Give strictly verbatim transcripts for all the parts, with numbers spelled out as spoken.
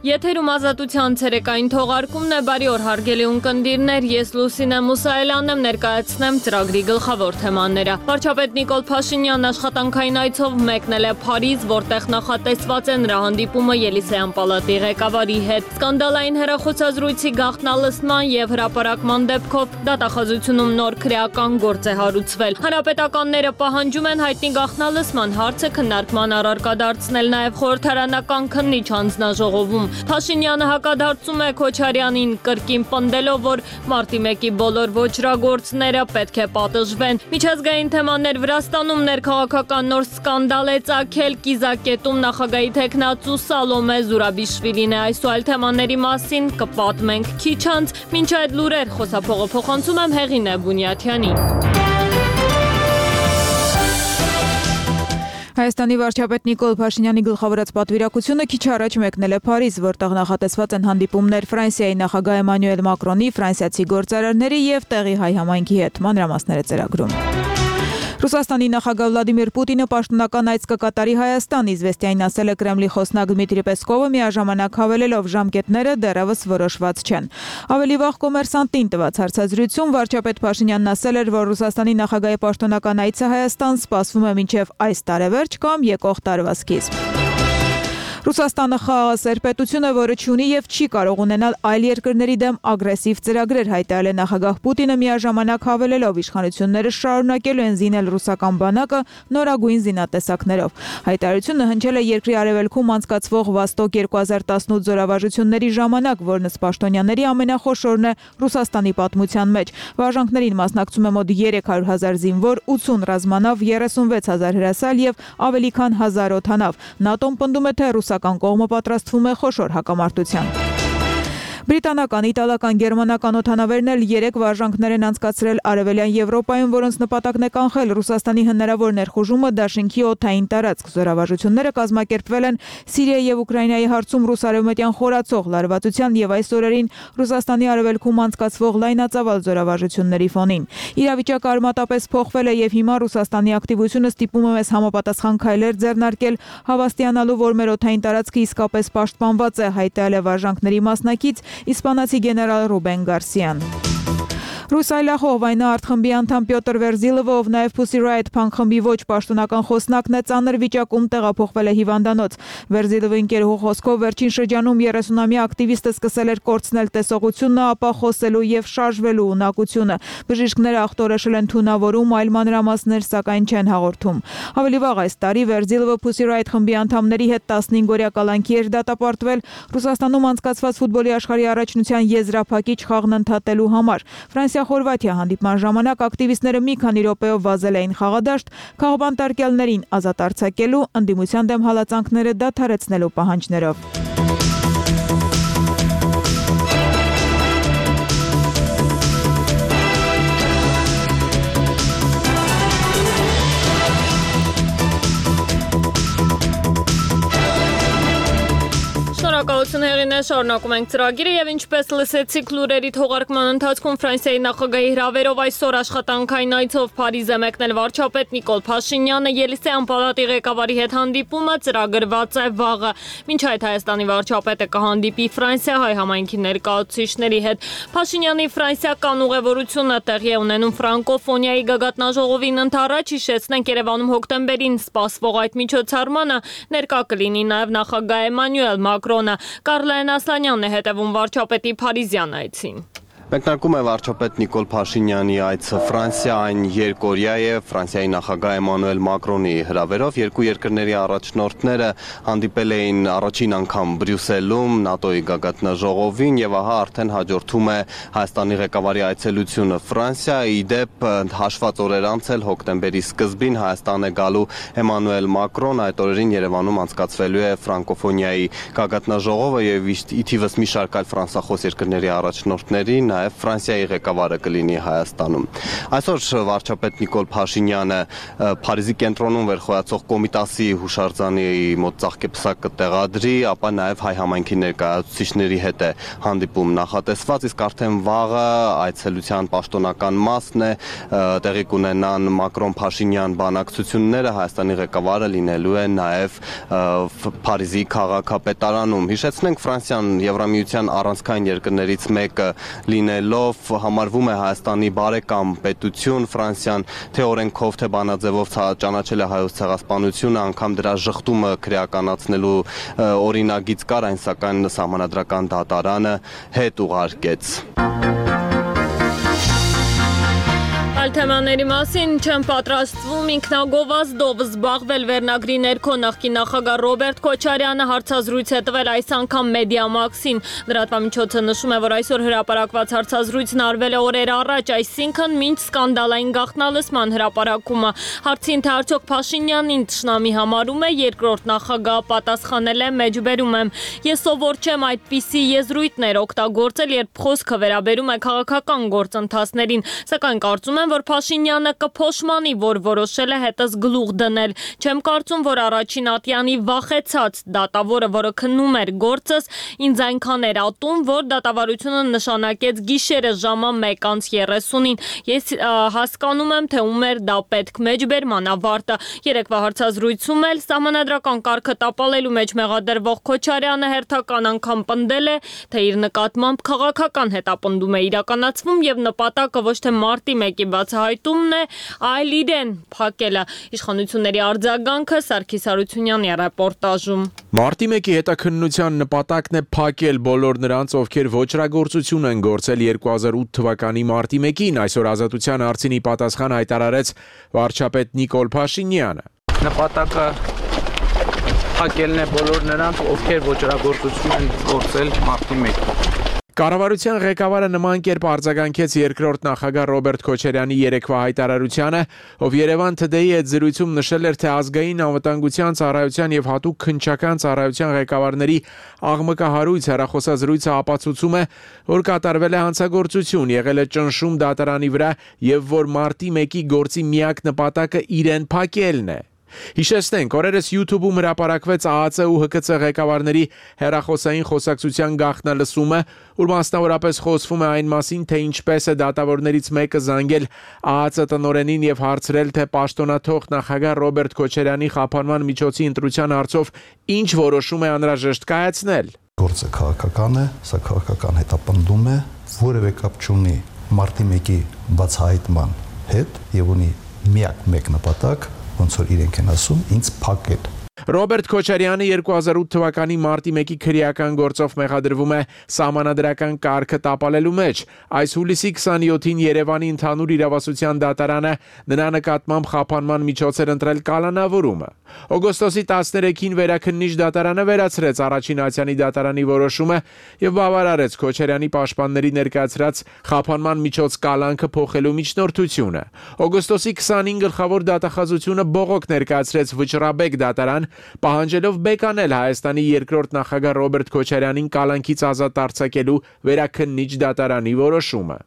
Եթերում ազատության ցերեկային թողարկումն է, բարի օր հարգելի ունկնդիրներ, ես Լուսինե Մուսայելյանն եմ, ներկայացնեմ ծրագրի գլխավոր թեմաները։ Վարչապետ Նիկոլ Փաշինյանն աշխատանքային այցով մեկնել է Փարիզ, որտեղ նախատեսված է նրա հանդիպումը Ելիսեյան պալատի ղեկավարի հետ։ Սկանդալային հեռախոսազրույցի գաղտնալսման եւ հրապարակման դեպքով դատախազությունում նոր քրեական գործ է հարուցվել։ Հանրապետականները պահանջում են հայտնի գաղտնալսման հարցը քննարկման առարկա դարձնել նաեւ խորհրդարանական քննիչ հանձնաժողովում։ Փաշինյանը հակադարձում է Քոչարյանին կրկին պնդելով, որ մարտի մեկի բոլոր ոճրագործները պետք է պատժվեն։ Միջազգային թեմաներ Վրաստանում ներքաղաքական նոր սկանդալ է ծագել, կիզակետում նախագահի թեկնածու Սալոմե Զուրաբիշվիլին է, այս ու այլ թեմաների մասին կպատմենք քիչ անց, մինչ այդ լուրեր խոսափողը փոխանցում եմ Հեղինե Բունյաթյանին։ Հայաստանի վարչապետ Նիկոլ Փաշինյանի գլխավորած պատվիրակությունը քիչ առաջ մեկնել է Փարիզ, որտեղ նախատեսված են հանդիպումներ Ֆրանսիայի նախագահ Էմանուել Մակրոնի, ֆրանսիացի գործարարների եւ տեղի հայ համայնքի հետ, մանրամասները ծրագրում։ Ռուսաստանի նախագահ Վլադիմիր Պուտինը պաշտոնական այց կկատարի Հայաստան, Իզվեստիային ասել է Կրեմլի խոսնակ Դմիտրի Պեսկովը, միաժամանակ հավելելով ժամկետները դեռևս որոշված չեն։ Ավելի վաղ Կոմերսանտին տված հարցազրույցում վարչապետ Փաշինյանն ասել էր, որ Ռուսաստանի նախագահի պաշտոնական այցը Հայաստան սպասվում է մինչև այս տարեվերջ կամ եկող տարվա սկիզբ։ Ռուսաստանը խաղաղասեր պետություն է, որը չունի եւ չի կարող ունենալ այլ երկրների դեմ ագրեսիվ ծրագրեր, հայտարարել է նախագահ Պուտինը, միաժամանակ հավելելով իշխանությունները շարունակելու են զինել ռուսական բանակը նորագույն զինատեսակներով։ Հայտարարությունը հնչել է երկրի արևելքում անցկացվող Վոստոկ երկու հազար տասնութ զորավարժությունների ժամանակ, որն ըստ պաշտոնյաների ամենախոշորն է Ռուսաստանի պատմության մեջ։ Վարժանքներին մասնակցում է մոտ երեք հարյուր հազար զինվոր, ութսուն ռազմանավ, երեսունվեց հազար հրասալ եւ ավելի քան հազար օդանավ։ ՆԱՏՕ-ն պնդում է, թե ռուսական կողմը պատրաստվում է խոշոր հակամարտության։ Բրիտանական, իտալական, գերմանական օդանավերն էլ երեք վարժանքներ են անցկացրել Արևելյան Եվրոպայում, որոնց նպատակն է կանխել Ռուսաստանի հնարավոր ներխուժումը Դաշինքի օդային տարածք։ Զորավարժությունները կազմակերպվել են Սիրիայի եւ Ուկրաինայի հարցում ռուս-արևմտյան խորացող լարվածության եւ այս օրերին Ռուսաստանի արևելքում անցկացվող լայնածավալ զորավարժությունների ֆոնին։ Իրավիճակը արմատապես փոխվել է եւ հիմա Ռուսաստանի ակտիվությունը ստիպում է մեզ համապատասխան քայլեր ձեռնարկել, հավաստիանալու, որ մեր օդային տարածքը իսկապես պաշտպանված է, հայտարարել է վարժանքների մասնակից իսպանացի գեներալ Ռուբեն Գարսիան։ Ռուս այլախոհ վայնաարտ խմբի անդամ Պյոտր Վերզիլովը, ով նաև Pussy Riot փանկ խմբի ոչ պաշտոնական խոսնակն է, ծանր վիճակում տեղափոխվել է հիվանդանոց։ Վերզիլովի ընկերուհու խոսքով վերջին շրջանում երեսունամյա ակտիվիստը սկսել էր կորցնել տեսողությունը, ապա խոսելու եւ շարժվելու ունակությունը։ Բժիշկները ախտորոշել են թունավորում, այլ մանրամասներ սակայն չեն հաղորդում։ Ավելի վաղ այս տարի Վերզիլովը Pussy Riot խմբի անդամների հետ տասնհինգ-օրյա կալանքի էր դատապարտվել Ռուսաստանում անցկացված ֆուտբոլի աշխարհի առաջնության եզրափակիչ խաղն ընդհատելու համար։ Ֆրանսիա-Խորվաթիա հանդիպման ժամանակ ակտիվիստները մի քանի րոպեով վազել էին խաղադաշտ, քաղաքապետներին ազատ արձակելու, ընդդիմության դեմ հալածանքները դադարեցնելու պահանջներով։ Շնորհակալություն Հեղինե, շարունակում ենք ծրագիրը եւ ինչպես լսեցիք լուրերի թողարկման ընթացքում Ֆրանսիայի նախագահի հրավերով այսօր աշխատանքային այցով Փարիզ է մեկնել վարչապետ Նիկոլ Փաշինյանը, Ելիսեյան պալատի ղեկավարի հետ հանդիպումը ծրագրված է վաղը։ Մինչ այդ Հայաստանի վարչապետը կհանդիպի Ֆրանսիա-հայ համայնքի ներկայացուցիչների հետ։ Փաշինյանի ֆրանսիական ուղևորությունը տեղի է ունենում ֆրանկոֆոնիայի գագաթնաժողովին ընդառաջ, հիշեցնենք Երևանում հոկտեմբերին սպասվող այդ միջոցառմանը ներկա կլինի նաեւ նախագահ Էմանուել Մակրոնը։ Կարլեն Ասլանյանն է հետևում վարչապետի Փարիզյան այցին։ Մեկնարկում է վարչապետ Նիկոլ Փաշինյանի այցը Ֆրանսիա, այն երկօրյա է Ֆրանսիայի նախագահ Էմանուել Մակրոնի հրավերով։ Երկու երկրների առաջնորդները հանդիպել էին առաջին անգամ Բրյուսելում ՆԱՏՕ-ի գագաթնաժողովին եւ ահա արդեն հաջորդում է Հայաստանի ղեկավարի այցելությունը Ֆրանսիա։ Ի դեպ հաշված օրեր անց էլ հոկտեմբերի սկզբին Հայաստան է գալու Էմանուել Մակրոն, այդ օրերին Երևանում անցկացվելու է ֆրանկոֆոնիայի գագաթնաժողովը եւ ի թիվս մի շարք այլ ֆրանսախոս երկրների առաջնորդների, նաև Ֆրանսիայի ղեկավարը կլինի Հայաստանում։ Այսօր վարչապետ Նիկոլ Փաշինյանը Փարիզի կենտրոնում վերխոյացող Կոմիտասի հուշարձանի մոտ ծաղկեպսակ կտեղադրի, ապա նաև հայ համայնքի ներկայացուցիչների հետ է հանդիպում նախատեսված, իսկ արդեն վաղը այցելության պաշտոնական մասն է, տեղի կունենան Մակրոն-Փաշինյան բանակցությունները, Հայաստանի ղեկավարը լինելու է նաև Փարիզի քաղաքապետարանում։ Հիշեցնենք, Ֆրանսիան Եվրամիության առանցքային երկրներից մեկը լինելով համարվում է Հայաստանի բարեկամ պետություն, Ֆրանսիան թե օրենքով, թե բանաձևով ճանաչել է հայոց ցեղասպանությունը, անգամ դրա ժխտումը քրեականացնելու օրինագիծ կար, այն սակայն սահմանադրական դատարանը հետ ուղարկեց։ Այլ թեմաների մասին չեմ պատրաստվում ինքնագովազդով զբաղվել վերնագրի ներքո նախկին նախագահ Ռոբերտ Քոչարյանը հարցազրույց է տվել այս անգամ Մեդիամաքսին։ Լրատվամիջոցը նշում է, որ այսօր հրապարակված հարցազրույցն արվել է օրեր առաջ, այսինքն մինչ սկանդալային գաղտնալսման հրապարակումը։ Հարցին թե արդյոք Փաշինյանին թշնամի համարում է, երկրորդ նախագահը պատասխանել է՝ մեջբերում եմ։ Ես սովոր չեմ այդպիսի եզրույթներ օգտագործել, երբ խոսքը վերաբերում է քաղաքական գործընթացներին, սակայն կարծում եմ, որ Փաշինյանը կփոշմանի, որ որոշել է հետս գլուխ դնել։ Չեմ կարծում, որ առաջին ատյանի վախեցած դատավորը, որը քննում էր գործս, ինձ այնքան էր ատում, որ դատավարությունը նշանակեց գիշերը ժամը մեկ անց երեսունին։ Ես հասկանում եմ, թե ում էր դա պետք։ Մեջբերման ավարտը։ Երեկվա հարցազրույցում էլ սահմանադրական կարգը տապալելու մեջ մեղադրվող Քոչարյանը հերթական անգամ պնդել է, թե իր նկատմամբ քաղաքական հետապնդում է իրականացվում եւ նպատակը ոչ թե մարտի մեկի բացահայտումն է, այլ իրեն փակելը։ Իշխանությունների արձագանքը Սարգիս Հարությունյանի ռեպորտաժում։ Մարտի մեկի հետաքննության նպատակն է փակել բոլոր նրանց, ովքեր ոչրագործություն են գործել երկու հազար ութ թվականի մարտի մեկին, այսօր Ազատության հարցինի պատասխան հայտարարեց վարչապետ Նիկոլ Փաշինյանը։ Նպատակը փակելն է բոլոր նրանց, ովքեր ոչրագործություն են գործել մարտի մեկին։ Կառավարության ղեկավարը նման կերպ արձագանքեց երկրորդ նախագահ Ռոբերտ Քոչարյանի երեկվա հայտարարությանը, ով Երևան Today-ի հետ զրույցում նշել էր, թե ազգային անվտանգության ծառայության եւ հատուկ քննչական ծառայության ղեկավարների աղմկահարույց հեռախոսազրույցը ապացուցում է, որ կատարվել է հանցագործություն, եղել է ճնշում դատարանի վրա եւ որ մարտի մեկի գործի միակ նպատակը իրեն փակելն է։ Հիշեցնենք, օրերս YouTube-ում հրապարակվեց ԱԱԾ ու ՀԿՑ ղեկավարների հեռախոսային խոսակցության գաղտնալսումը, ուր մասնավորապես խոսվում է այն մասին, թե ինչպես է դատավորներից մեկը զանգել ԱԱԾ տնօրենին եւ հարցրել, թե պաշտոնաթող նախագահ Ռոբերտ Քոչարյանի խափանման միջոցի ընտրության հարցով ինչ որոշում է անհրաժեշտ կայացնել։ Գործը քաղաքական է, սա քաղաքական հետապնդում է, որևէ կապ չունի մարտի մեկի բացահայտման հետ եւ ունի միակ մեկ նպատակ, ոնց որ իրենք են ասում, ինձ փակել։ Ռոբերտ Քոչարյանը երկու հազար ութ թվականի մարտի մեկի քրեական գործով մեղադրվում է սահմանադրական կարգը տապալելու մեջ։ Այս հուլիսի քսանյոթին Երևանի ընդհանուր իրավասության դատարանը նրա նկատմամբ խափանման միջոց էր ընտրել կալանավորումը։ Օգոստոսի տասներեքին վերաքննիչ դատարանը վերացրեց առաջին ատյանի դատարանի որոշումը եւ բավարարեց Քոչարյանի պաշտպանների ներկայացրած խափանման միջոց կալանքը փոխելու միջնորդությունը։ Օգոստոսի քսանին գլխավոր դատախազությունը բողոք ներկայացրեց Վճռաբեկ դատարան, պահանջելով բեկանել Հայաստանի երկրորդ նախագահ Ռոբերտ Քոչարյանին կալանքից ազատ արձակելու վերաքննիչ դատարանի որոշումը։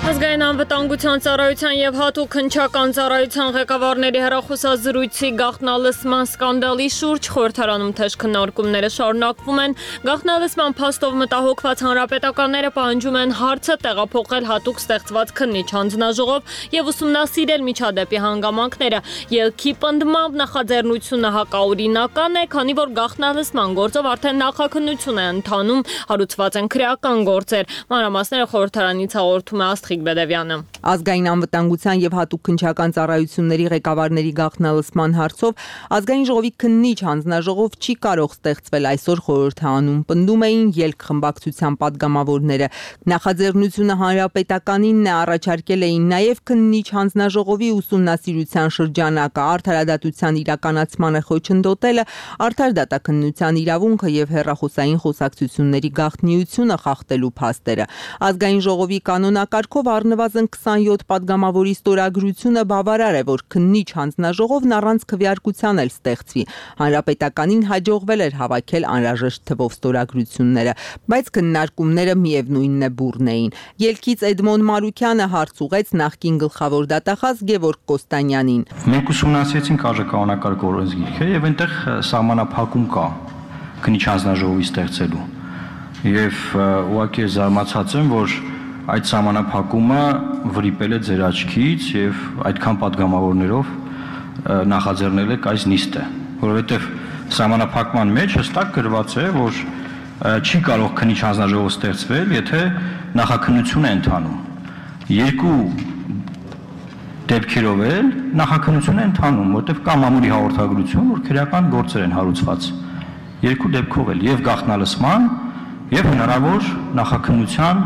Ազգային անվտանգության ծառայության եւ հատուկ քննչական ծառայության ղեկավարների հեռախոսազրույցի գաղտնալսման սկանդալի շուրջ խորհրդարանում թեժ քննարկումները շարունակվում են։ Գաղտնալսման փաստով մտահոգված հանրապետականները պահանջում են հարցը տեղափոխել հատուկ ստեղծված քննիչ հանձնաժողով եւ ուսումնասիրել միջադեպի հանգամանքները։ Ելքի պնդմամբ նախաձեռնությունը հակաօրինական է, քանի որ գաղտնալսման գործով արդեն նախաքննություն է ընթանում, հարուցված են քրեական գործեր։ Մանրամասները խորհրդարանից հաղորդում է Աստղիկ Բեդևյանը։ Ազգային անվտանգության եւ հատուկ քննչական ծառայությունների ղեկավարների գաղտնալսման հարցով ազգային ժողովի քննիչ հանձնաժողով չի կարող ստեղծվել այսօր խորհրդարանում, պնդում էին ելք խմբակցության падգամավորները։ Նախաձեռնությունը հանրապետականինն է, առաջարկել էին նաեւ քննիչ հանձնաժողովի ուսումնասիրության շրջանակը, արդարադատության իրականացմանը խոչընդոտելը, արդար դատաքննության իրավունքը եւ հեռախոսային խոսակցությունների գաղտնիությունը խախտելու փաստերը։ Ազգային ժողովի կանոնակարգով առնվազն առնվազն քսանյոթ պատգամավորի ստորագրությունը բավարար է, որ քննիչ հանձնաժողովն առանց քվեարկության էլ ստեղծվի։ Հանրապետականին հաջողվել էր հավաքել անհրաժեշտ թվով ստորագրությունները, բայց քննարկումները միևնույնն է բուռն էին։ Ելքից Էդմոն Մարուկյանը հարց ուղեց նախկին գլխավոր դատախազ Գևորգ Կոստանյանին։ Մենք ուսումնասիրեցինք արժեքանոնակարգ օրենսգիրքը եւ այնտեղ սահմանափակում կա քննիչ հանձնաժողովի ստեղծելու։ Եվ ուղղակի զարմացած եմ, որ այդ սահմանափակումը վրիպել է ձեր աչքից եւ այդքան падգամավորներով նախաձեռնել եք այս նիստը, որովհետեւ սահմանափակման մեջ հստակ գրված է, որ չի կարող քննիչ հանձնաժողով ստեղծվել, եթե նախաքննություն է ընթանում։ Երկու դեպքերով էլ նախաքննություն է ընթանում, որտեղ կա մամուլի հաղորդագրություն, որ քրեական գործեր են հարուցված։ Երկու դեպքով էլ եւ գաղտնալսման եւ հնարավոր նախաքննության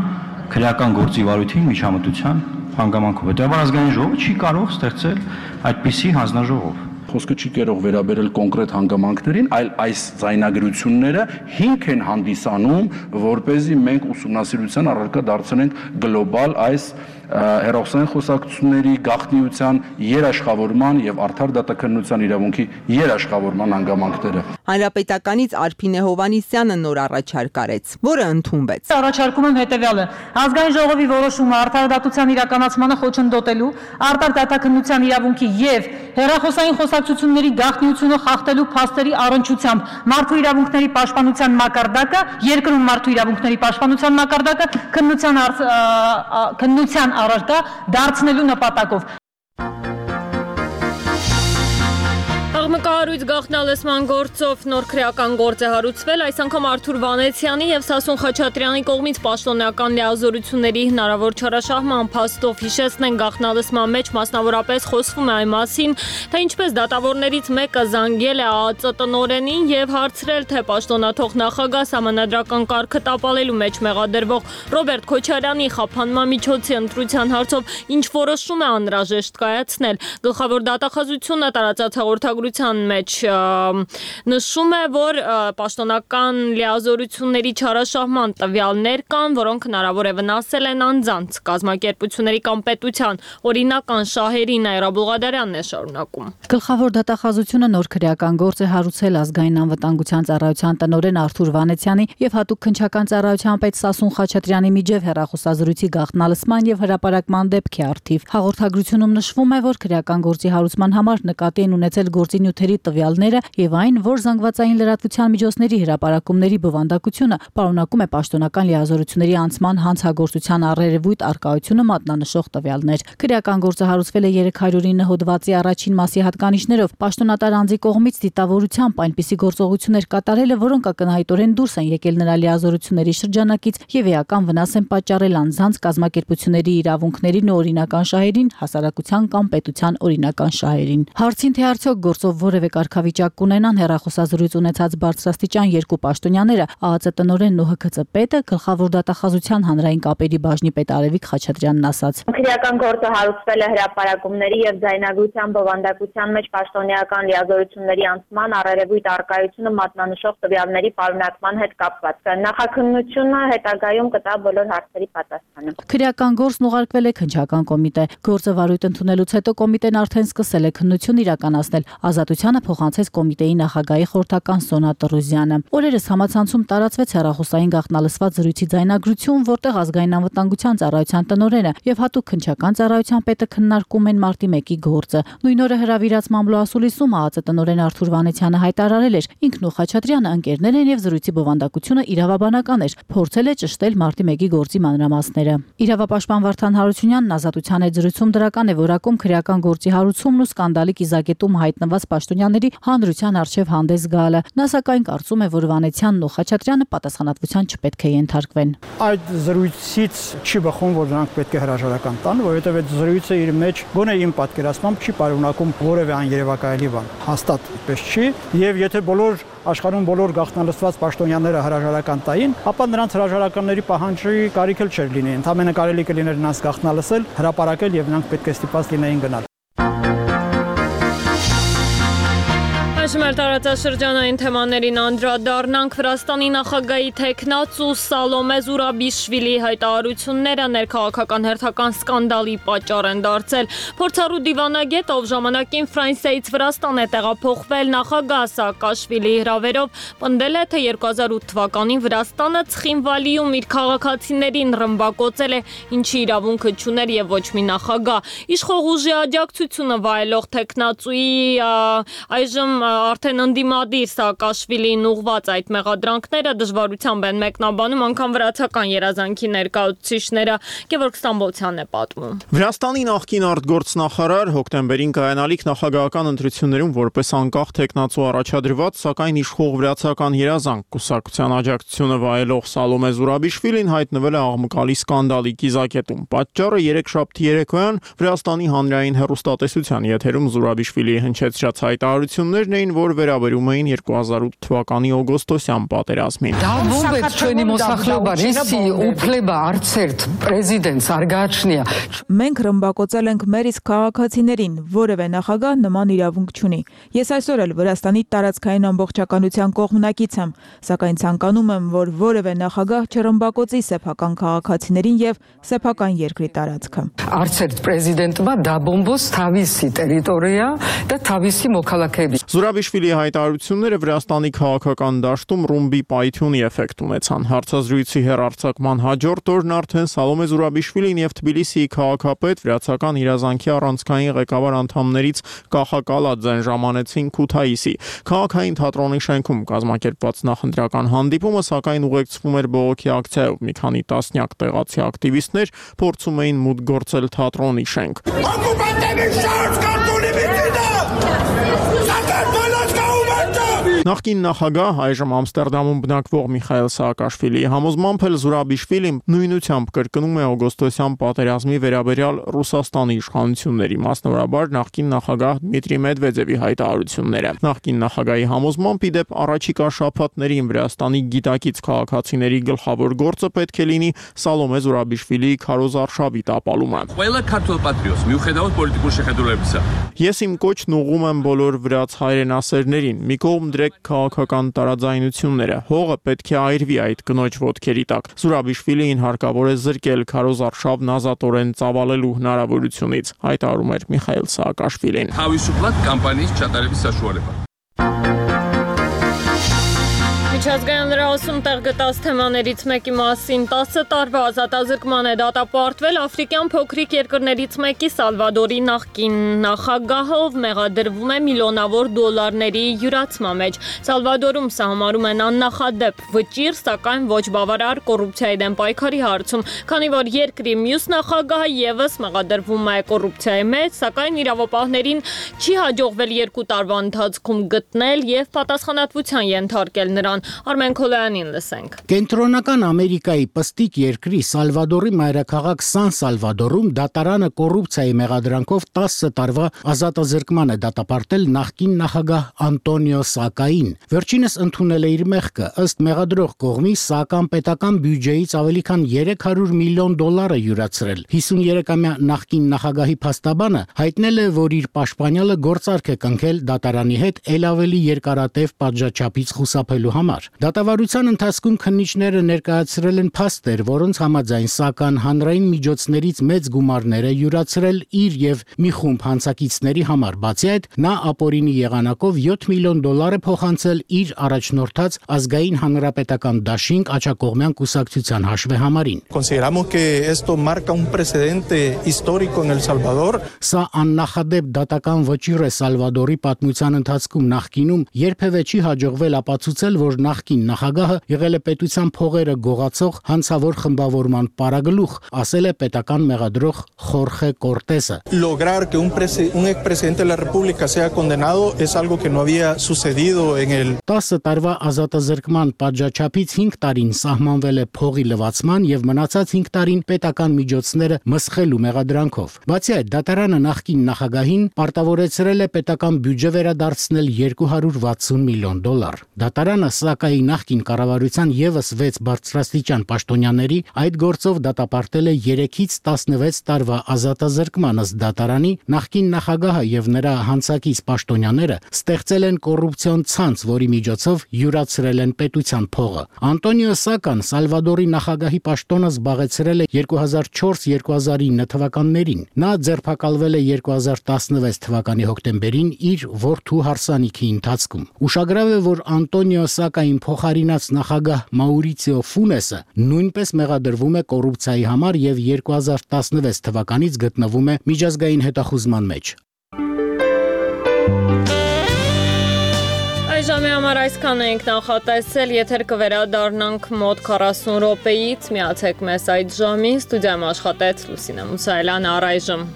քրեական գործի վարույթին միջամտության հանգամանքով։ Հետևաբար ազգային ժողովը չի կարող ստեղծել այդպիսի հանձնաժողով։ Խոսքը չի կարող վերաբերել կոնկրետ հանգամանքներին, այլ այս ձայնագրությունները հիմք են հանդիսանում, որպեսզի մենք ուսումնասիրության առարկա դարձնենք գլոբալ այս հերոսային խոսակցությունների գաղտնիության երաշխավորման եւ արդար դատաքննության իրավունքի երաշխավորման հանգամանքները։ Հանրապետականից Արփինե Հովանիսյանը նոր առաջարկ արեց, որը ընդունվեց։ Առաջարկում եմ հետեւյալը. ազգային ժողովի որոշումը արդար դատության իրականացմանը խոչընդոտելու, արդար դատաքննության իրավունքի եւ հերախոսային խոսակցությունների գաղտնիությունը խախտելու փաստերի առնչությամբ մարդու իրավունքների պաշտպանության մակարդակը, երկրում մարդու իրավունքների պաշտպանության մակարդակը քննության քննության առարկա դարձնելու նպատակով։ Աղմկահարույց գաղտնալսման գործով նոր քրեական գործ է հարուցվել, այս անգամ Արթուր Վանեցյանի եւ Սասուն Խաչատրյանի կողմից պաշտոնական լիազորությունների հնարավոր չարաշահման փաստով հիշեցնեն գաղտնալսման մեջ մասնավորապես խոսվում է այն մասին, թե ինչպես դատավորներից մեկը զանգել է ԱԱԾ տնօրենին եւ հարցրել, թե պաշտոնաթող նախագահ սահմանադրական կարգը տապալելու մեջ մեղադրվող Ռոբերտ Քոչարյանի խափանման միջոցի ընտրության հարցով ինչ որոշում է անհրաժեշտ կայացնել։ Գլխավոր դատախազությունը տարածած հաղորդագրության մեջ նշում է, որ պաշտոնական լիազորությունների չարաշահման տվյալներ կան, որոնք հնարավոր է վնասել են անձանց, կազմակերպությունների կամ պետության օրինական շահերին։ Այրա Բուղադարյանն է շարունակում։ Գլխավոր դատախազությունը նոր քրեական գործ է հարուցել ազգային անվտանգության ծառայության տնօրեն Արթուր Վանեցյանի եւ հատուկ քննչական ծառայության պետ Սասուն Խաչատրյանի միջև հեռախոսազրույցի գաղտնալսման եւ հրապարակման դեպքի առթիվ։ Հաղորդագրությունում նշվում է, որ քրեական գործի հարուցման համար նկատի են ունեցել գործի նյութերի տվյալները եւ այն, որ զանգվածային լրատվության միջոցների հրապարակումների բովանդակությունը պարունակում է պաշտոնական լիազորությունների անցման հանցագործության առերևույթ արկայությունը մատնանշող տվյալներ։ Քրեական գործը հարուցվել է երեք հարյուր ինը հոդվածի առաջին մասի հատկանիշներով պաշտոնատար անձի կողմից դիտավորությամբ այնպիսի գործողություններ կատարելը, որոնք ակնհայտորեն դուրս են եկել նրա լիազորությունների շրջանակից եւ էական վնաս են պատճառել անձանց, կազմակերպությունների իրավունքներին ու օրինական շահերին, հասարակության կամ պետության օրինական շահերին։ Հարցին թե արդյոք գործով որևէ կարգավիճակ կունենան հեռախոսազրույց ունեցած բարձրաստիճան երկու պաշտոնյաները, ԱԱԾ տնօրենն ու ՀՔԾ պետը, գլխավոր դատախազության հանրային կապերի բաժնի պետ Արևիկ Խաչատրյանն ասաց. Քրեական գործը հարուցվել է հրապարակումների եւ ձայնագրության բովանդակության մեջ պաշտոնեական լիազորությունների անցման առերևույթ արկայությունը մատնանշող տվյալների պարունակման հետ կապված։ Նախաքննությունը հետագայում կտա բոլոր հարցերի պատասխանը։ Քրեական գործն ուղարկվել է քննչական կոմիտե։ Գործը վարույթ ընդունելուց հետո կոմիտեն արդեն սկսել է քննություն իրականացնել։ Ազատությանը փոխանցեց կոմիտեի նախագահի խորհրդական Սոնա Տրուզյանը։ Օրերս համացանցում տարածվեց հեռախոսային գաղտնալսված զրույցի ձայնագրություն, որտեղ ազգային անվտանգության ծառայության տնօրենը եւ հատուկ քննչական ծառայության պետը քննարկում են մարտի մեկի գործը։ Նույն օրը հրավիրած մամլոասուլիսում ԱԱԾ տնօրեն Արթուր Վանեցյանը հայտարարել էր. ինքն ու Խաչատրյանը ընկերներ են եւ զրույցի բովանդակությունը իրավաբանական էր, փորձել է ճշտել մարտի մեկի գործի մանրամասները։ Իրավապաշտպան Վարդան Հարությունյանն Ազատության հետ զրույցում դրական է որակում քրեական գործի հարուցումն ու սկանդալի կիզակետում հայտնված պաշտոնյաների հանրության արչև հանդես գալը։ Նա սակայն կարծում է, որ Վանեցյանն ու Խաչատրյանը պատասխանատվության չպետք է ենթարկվեն։ Այդ զրույցից չի բխում, որ նրանք պետք է հրաժարական տան, որովհետև այդ զրույցը իր մեջ գոնե իմ պատկերացմամբ չի պարունակում որևէ աներևակայելի բան։ Հաստատ այդպես չի, եւ եթե բոլոր աշխարհում բոլոր գաղտնալսված պաշտոնյաները հրաժարական տային, ապա նրանց հրաժարականների պահանջի կարիք էլ չէր լինի։ Ընդհանրապես կարելի կլիներ նրանց գաղտնալսել, հրապարակել եւ նրանք պետք է ստիպված լինեին գնալ։ Այժմ էլ տարածաշրջանային թեմաներին անդրադառնանք. Վրաստանի նախագահի թեկնածու Սալոմե Զուրաբիշվիլի հայտարարությունները ներքաղաքական հերթական սկանդալի պատճառ են դարձել։ Փորձառու դիվանագետ, ով ժամանակին Ֆրանսիայից Վրաստան է տեղափոխվել նախագահ Սաակաշվիլիի հրավերով, պնդել է, թե երկու հազար ութ թվականին Վրաստանը Ցխինվալիում իր քաղաքացիներին ռմբակոծել է, ինչի իրավունքը չուներ եւ ոչ մի նախագահ։ Իշխող ուժի աջակցությունը վայելող թեկնածուի այժմ արդեն ընդդիմադիր Սաակաշվիլիին ուղված այդ մեղադրանքները դժվարությամբ են մեկնաբանում անգամ վրացական երազանքի ներկայացուցիչները։ Գևորգ Ստամբոլցյանն է պատմում։ Վրաստանի նախկին արտգործնախարար հոկտեմբերին կայանալիք նախագահական ընտրություններում որպես անկախ թեկնածու առաջադրված, սակայն իշխող վրացական երազանք կուսակցության աջակցությունը վայելող Սալոմե Զուրաբիշվիլին հայտնվել է աղմկալի սկանդալի կիզակետում։ Պատճառը երեքշաբթի երեկոյան Վրաստանի հանրային հեռուստատեսության եթերում Զուրաբիշվիլիի հնչեցրած հայտարարություններն էին, որ վերաբերում էին երկու հազար ութ թվականի օգոստոսյան պատերազմին։ Դա ո՞վ է ჩვენი მოსახლეობა, եսի უფლება არც ერთ პრეზიდენტს არ გააჩნია։ Մենք ռմբակոծել ենք մեր իսկ քաղաքացիներին, որևէ նախագահ նման իրավունք չունի։ Ես այսօր էլ Վրաստանի տարածքային ամբողջականության կողմնակից եմ, սակայն ցանկանում եմ, որ որևէ նախագահ չռմբակոծի սեփական քաղաքացիներին եւ սեփական երկրի տարածքը։ Არց ერთ პრეზიდენტმა დაბომბოს თავისი ტერიტორია და თავისი მოქალაქეები։ Զուրաբիշվիլիի հայտարարությունները Վրաստանի քաղաքական դաշտում ռումբի պայթյունի էֆեկտ ունեցան։ Հարցազրույցի հեռարձակման հաջորդ օրն արդեն Սալոմե Զուրաբիշվիլին եւ Թբիլիսիի քաղաքապետ վրացական իրազանքի առանցքային ղեկավար անդամներից Կախակալաձեն ժամանեցին Քութայիսի։ Քաղաքային թատրոնի շենքում կազմակերպված նախընտրական հանդիպումը սակայն ուղեկցվում էր բողոքի ակցիայով։ Մի քանի տասնյակ տեղացի ակտիվիստներ փորձում էին մուտք գործել թատրոնի շենք։ Նախկին նախագահ, այժմ Ամստերդամում բնակվող Միխայել Սաակաշվիլիի համոզմամբ էլ Զուրաբիշվիլին նույնությամբ կրկնում է օգոստոսյան պատերազմի վերաբերյալ Ռուսաստանի իշխանությունների, մասնավորաբար նախկին նախագահ Դմիտրի Մեդվեդևի հայտարարությունները։ Նախկին նախագահի համոզմամբ ի դեպ առաջիկա շաբաթներին Վրաստանի գիտակից քաղաքացիների գլխավոր գործը պետք է լինի Սալոմե Զուրաբիշվիլիի քարոզարշավի տապալումը։ Ես իմ կոչն ուղղում եմ բոլոր վրաց հայրենասերներին, մի կողմ դրեք քաղաքական տարաձայնությունները, հողը պետք է այրվի այդ կնոջ ոտքերի տակ։ Զուրաբիշվիլին հարկավոր է զրկել քարոզարշավն ազատորեն ծավալելու հնարավորությունից, հայտարարում էր Միխայել Սաակաշվիլին։ Միջազգային լրահոսում տեղ գտած թեմաներից մեկի մասին տասը տարվա ազատազրկման է դատապարտվել աֆրիկյան փոքրիկ երկրներից մեկի Սալվադորի նախկին նախագահը, ով մեղադրվում է միլիոնավոր դոլարների յուրացման մեջ։ Սալվադորում սահմանում են աննախադեպ վճիռ, սակայն ոչ բավարար կոռուպցիայի դեմ պայքարի հարցում, քանի որ երկրի մյուս նախագահը եւս մեղադրվում է կոռուպցիայի մեջ, սակայն իրավապահներին չի հաջողվել երկու տարվա ընթացքում գտնել եւ պատասխանատվության ենթարկել նրան։ Արմեն Քոլյանին լսենք։ Կենտրոնական Ամերիկայի պստիկ երկրի Սալվադորի մայրաքաղաք Սան Սալվադորում դատարանը կոռուպցիայի մեղադրանքով տասը տարվա ազատազրկման է դատապարտել նախկին նախագահ Անտոնիո Սակային։ Վերջինս ընդունել է իր մեղքը, ըստ մեղադրող կողմի Սական պետական բյուջեից ավելի քան երեք հարյուր միլիոն դոլար է յուրացրել։ հիսուներեքամյա նախկին նախագահի փաստաբանը հայտնել է, որ իր պաշտպանյալը գործարք է կնքել դատարանի հետ ել ավելի երկարատև պատժաչափից խուսափելու համար։ Դատավարության ընթացքում քննիչները ներկայացրել են փաստեր, որոնց համաձայն Սական հանրային միջոցներից մեծ գումարներ է յուրացրել իր եւ մի խումբ հանցակիցների համար։ Բացի այդ, նա ապօրինի եղանակով յոթ միլիոն դոլար է փոխանցել իր առաջնորդած ազգային հանրապետական դաշինք աջակողմյան կուսակցության հաշվեհամարին։ Consideramos que esto marca un precedente histórico en El Salvador. Սա աննախադեպ դատական վճիռ է Սալվադորի պատմության ընթացքում նախկինում երբևէ չի հաջողվել ապացուցել, որ նախկին նախագահը եղել է պետության փողերը գողացող հանցավոր խմբավորման պարագլուխ, ասել է պետական մեղադրող Խորխե Կորտեսը։ Lograr que un, un expresidente de la República sea condenado es algo que no había sucedido en el տասը տարվա ազատազրկման պատժաչափից հինգ տարին սահմանվել է փողի լվացման եւ մնացած հինգ տարին պետական միջոցները մսխելու մեղադրանքով։ Բացի այդ, դատարանը նախկին նախագահին պարտավորեցրել է պետական բյուջե վերադարձնել երկու հարյուր վաթսուն միլիոն դոլար։ Դատարանը սա ՍԱԿԱ-ի նախկին կառավարության եւս վեց բարձրաստիճան պաշտոնյաների այդ գործով դատապարտել է երեքից տասնվեց տարվա ազատազրկման ըստ դատարանի նախկին նախագահը եւ նրա հանցակից պաշտոնյաները ստեղծել են կոռուպցիոն ցանց, որի միջոցով յուրացրել են պետության փողը։ Անտոնիո Սական Սալվադորի նախագահի պաշտոնը զբաղեցրել է երկու հազար չորս երկու հազար ինը թվականներին։ Նա ձերբակալվել է երկու հազար տասնվեց թվականի հոկտեմբերին իր որդու հարսանիքի ընթացքում։ Ուշագրավ է, որ Անտոնիո Սակային փոխարինած նախագահ Մաուրիցիո Ֆունեսը նույնպես մեղադրվում է կոռուպցիայի համար եւ երկու հազար տասնվեց թվականից գտնվում է միջազգային հետախուզման մեջ։ Ժամի համար այսքան ենք նախատեսել, եթեր կվերադառնանք մոտ քառասուն րոպեից, միացեք մեզ այդ ժամին, ստուդիայում աշխատեց Լուսինե Մուսայելյանը, առայժմ։